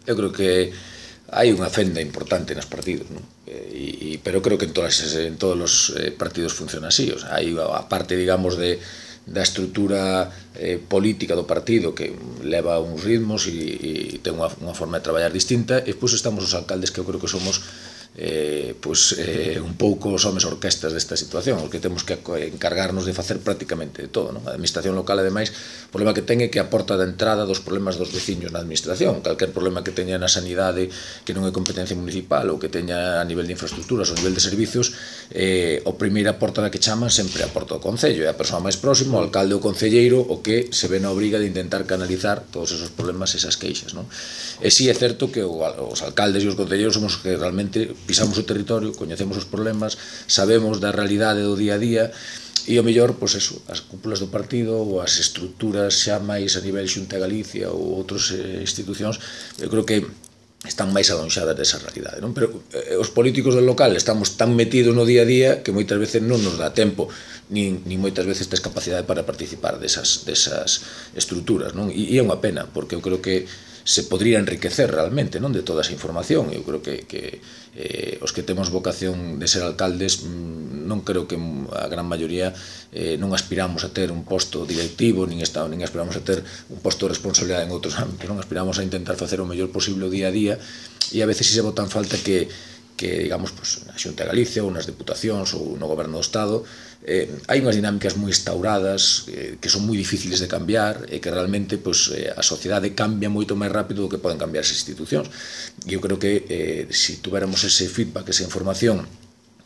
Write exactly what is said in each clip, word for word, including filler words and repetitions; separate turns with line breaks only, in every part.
eu creo que hai unha fenda importante nos partidos, non? E, e, pero creo que en, todas, en todos os eh, partidos funciona así. O sea, hai a parte, digamos, de, da estrutura eh, política do partido que leva uns ritmos e, e ten unha, unha forma de traballar distinta, e depois estamos os alcaldes que eu creo que somos eh, pues, eh, un pouco os homes orquestas desta situación, os que temos que encargarnos de facer prácticamente de todo, non? A administración local, ademais, o problema que ten é que a porta de entrada dos problemas dos veciños na administración. Calquer problema que teña na sanidade que non é competencia municipal ou que teña a nivel de infraestructuras ou a nivel de servicios, eh, o primeira porta da que chaman sempre a porta do Concello, é a persoa máis próxima, o alcalde ou concelleiro, o que se ve na obriga de intentar canalizar todos esos problemas e esas queixas, non? E si é certo que os alcaldes e os concelleiros somos os que realmente pisamos o territorio, coñecemos os problemas, sabemos da realidade do día a día, e o mellor, pois eso, as cúpulas do partido ou as estruturas xa máis a nivel Xunta de Galicia ou outras eh, institucións, eu creo que están máis adonxadas desa realidade, non? Pero eh, os políticos do local estamos tan metidos no día a día que moitas veces non nos dá tempo, nin, nin moitas veces tes capacidade para participar desas, desas estruturas, non? E, e é unha pena, porque eu creo que se podría enriquecer realmente, non, de toda esa información. Eu creo que, que eh, os que temos vocación de ser alcaldes, non creo que a gran maioría eh, non aspiramos a ter un posto directivo, nin, estado, nin aspiramos a ter un posto de responsabilidade en outros ámbitos, non aspiramos a intentar facer o mellor posible o día a día, e a veces si se botan falta que que, digamos, pues, na Xunta de Galicia ou nas Deputacións ou no Goberno do Estado eh, hai unhas dinámicas moi instauradas eh, que son moi difíciles de cambiar e que realmente pues, eh, a sociedade cambia moito máis rápido do que poden cambiar as institucións. E eu creo que eh, se tuviéramos ese feedback, esa información,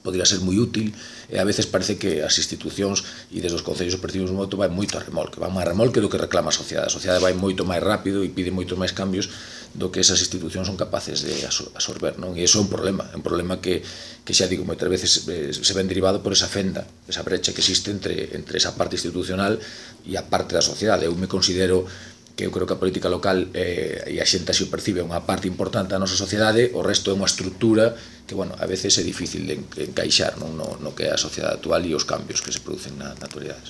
podría ser moi útil, e a veces parece que as institucións e desde os concellos percibimos moito vai moito a remolque, vai máis a remolque do que reclama a sociedade. A sociedade vai moito máis rápido e pide moito máis cambios do que esas institucións son capaces de absorber, non? E iso é un problema, é un problema que, que xa digo, moitas veces eh, se ven derivado por esa fenda, esa brecha que existe entre, entre esa parte institucional e a parte da sociedade. Eu me considero que eu creo que a política local eh, e a xente así o percibe unha parte importante da nosa sociedade, o resto é unha estrutura que, bueno, a veces é difícil de encaixar, non, no, no que é a sociedade actual e os cambios que se producen na, na actualidade.